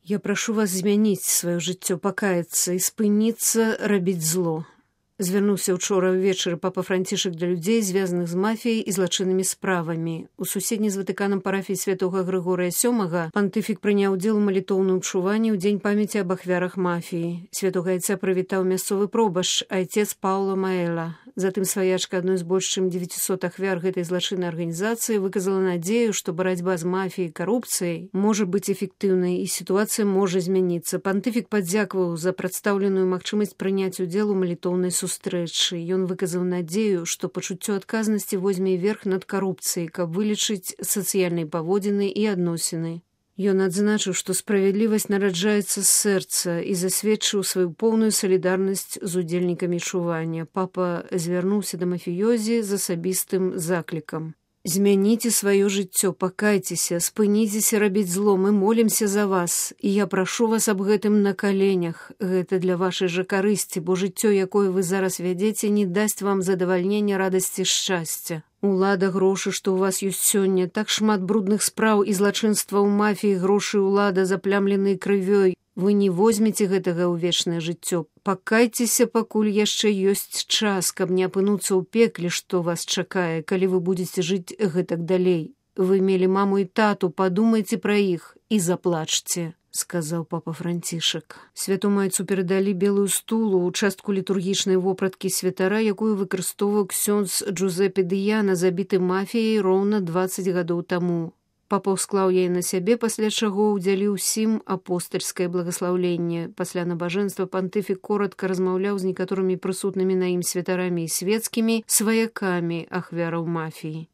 Я прашу вас змяніць сваё жыццё, пакаяцца і спыніцца рабіць зло. Звярнуўся учора ўвечары папа Францішак да людзей, звязаных з мафіяй і злачыннымі справамі. У суседняй з Ватыканам парафіі святога Грыгорыя VII пантыфік прыняў удзел у малітоўным чуванні ў дзень памяці аб ахвярах мафіі. Святога айца прывітаў мясцовы пробашч, айцец Паўло Маэла. Затым сваячка адной з больш чым 900 ахвяр гэтай злачыннай арганізацыі выказала надзею, што барацьба з мафіяй і карупцыяй можа быць эфектыўнай і сітуацыя можа змяніцца. Пантыфік падзякаваў за прадстаўленую магчымасць прыняць удзел у малітоўнай сустрэчы. Ён выказаў надзею, што пачуццё адказнасці возьме верх над карупцыяй, каб вылічыць сацыяльныя паводзіны і адносіны. Ён адзначыў, што справядлівасць нараджаецца з сэрца і засведчыў сваю поўную салідарнасць з удзельнікамі чування. Папа звярнуўся да мафіёзі з асабістым заклікам. Змяніце сваё жыццё, пакайцеся, спыніцеся рабіць зло, мы молімся за вас, і я прашу вас аб гэтым на каленях. Гэта для вашай жа карысці, бо жыццё, якое вы зараз вядзеце, не дасць вам задавальнення, радасці, шчасця. Улада, грошы, што ў вас ёсць сёння, так шмат брудных спраў і злачынства ў мафіі, грошы ўлада, заплямленыя крывёй. Вы не возьмеце гэтага ў вечнае жыццё. Пакайцеся, пакуль яшчэ ёсць час, каб не апынуцца ў пекле, што вас чакае, калі вы будзеце жыць гэтак далей. Вы мелі маму і тату, падумайце пра іх і заплачце, сказаў папа Францішак. Святому айцу перадалі белую стулу, участку літургічнай вопраткі святара, якую выкарыстоўваў ксёндз Джузепе Дыяна, забіты мафіяй роўна 20 гадоў таму. Папа ўсклаў яе на сябе, пасля чаго ўдзяліў усім апостальскае благаслаўленне. Пасля набажэнства пантыфік коратка размаўляў з некаторымі прысутнымі на ім святарамі і свецкімі сваякамі ахвяраў мафіі.